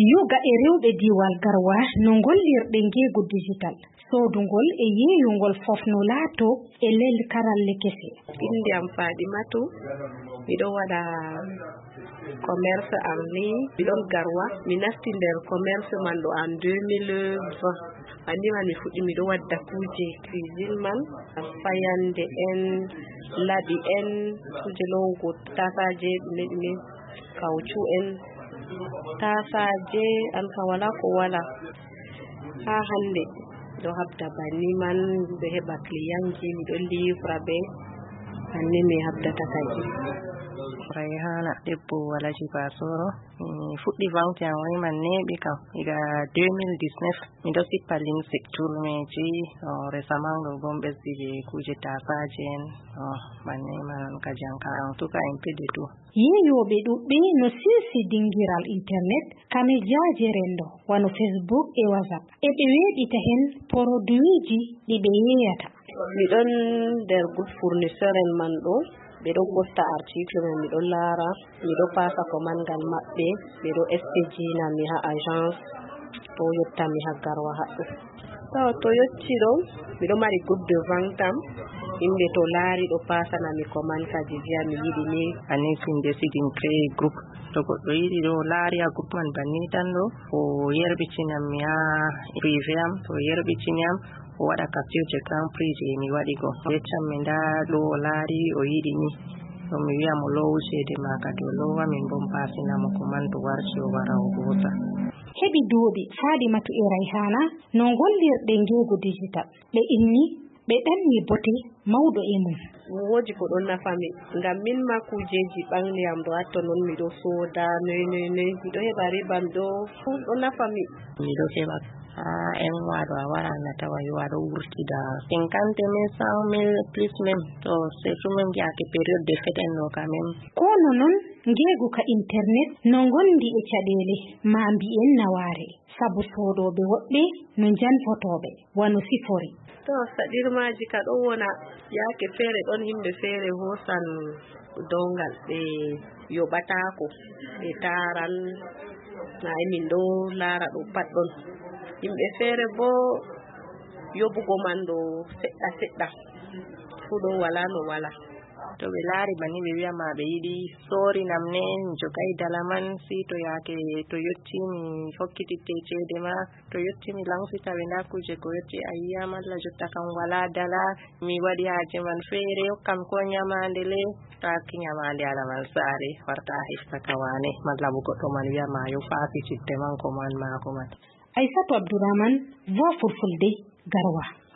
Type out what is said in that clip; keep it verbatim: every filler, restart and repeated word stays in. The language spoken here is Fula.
Yoga e rewɓe diiwal Garwa no ngollirɗe ngeegu digital. Soodungol e yeeyungol fof no laato e lel karalle kese. Innde am Faaɗimatu, miɗo waɗa commerce en ligne, miɗon Garwa. Mi nasti nder commerce man ɗo en deux mille vingt. Anndi man mi fuɗɗi miɗo wadda kuuje cuisine man, fayannde en, laɓi en, kuuje lowugo taasaaje, ɗume ɗume, kawcu en, taasaaje, an kam walaa ko walaa. Haa hannde, miɗo haɓda banni man, miɗo heɓa clientji, miɗo livra ɓe, banni mi haɓdata kadi. Rayhana, debbo Alhaji Basoro. Mi fuɗɗi vente en woni man neeɓi kam, diga deux mille dix-neuf. Miɗo sippa limse, turmeeji, o, récemment ɗo boo mi ɓesdi je kuuje taasaaje en, o, banni man on kadi an ka, en tout cas, un peu de tout. Yeeyooɓe ɗuuɗɓe no sinsi dingiral internet, kamejaaje renndo, wano Facebook e WhatsApp. E ɓe weeɓita heen poroduwiiji ɗi ɓe yeeyata. Miɗon nder groupe fournisseur en man ɗo, ɓe ɗon ɓofta article men, miɗon laara, miɗo paasa commande ngal maɓɓe, ɓe ɗo expédier na mi haa agence, ɗo yotta mi haa Garwa haɗɗo. Tawa to yotti ɗo, miɗo mari groupe de vente am, yimɓe to laari ɗo paasana mi commande kadi viya mi yiɗi ni. Anis min desidi min créer groupe. To goɗɗo yiɗi ɗo laari a groupe man banni tan ɗo, o yerɓitinan mi haa privé am, to o yerɓitini am, o waɗa capture d'écran prix je mi waɗi go. O yeccan mi ndaa ɗo o laari o yiɗi ni. Ɗum mi wi'a mo loowu ceede ma kadi o loowa min boo mi paasina mo commande to warti o wara o hoosa. Heɓi duuɓi Fadimatu e Rayhana no ngollirɗe ngeegu digital. Ɓe inni, ɓe ɗanni bote mawɗo e mum. Woodi ko ɗon nafa mi, ngam min ma kuujeeji ɓangli am ɗo atto non miɗo sooda, noy, noy, noy, miɗo heɓa riba, miɗo, ɗon nafa mi. Miɗo heɓa, haa en waɗo a wara na tawa yo aɗo wurtida cinquante mille, cent mille, plus même, to surtout même yaake période de fête en ɗo quand même. Kono non, ngeegu ka internet no ngondi e caɗeele, ma mbiyen nawaare, sabu soodooɓe woɗɓe no njanfotooɓe, wano sifori. To, saɗirmaaji ka ɗon wona, yaake feere ɗon yimɓe feere hoosan downgal, ɓe yoɓataako, ɓe taaran, na e min ɗo laara ɗo pat ɗon. Yimɓe feere boo yoɓugo man ɗo seɗɗa seɗɗa, fuu ɗon walaa no walaa. To ɓe laari banni ɓe wi'a ma ɓe yiɗi soorinam ne, mi jogay dala man, si to yaake to yotti mi hokkititte ceede ma, to yotti mi lansita ɓe ndaa kuuje ko yotti a yi'a malla jotta kam walaa dala, mi waɗi haaje man feere, hokkam ko nyamaande le, to a hokki nyamaande ala man saare, warta a hefta ka waane, malla bo goɗɗo man wi'a ma yo faasi cidde man ko man maako man. Aysatu Abdurahman, Voix Fulfulde, Garwa.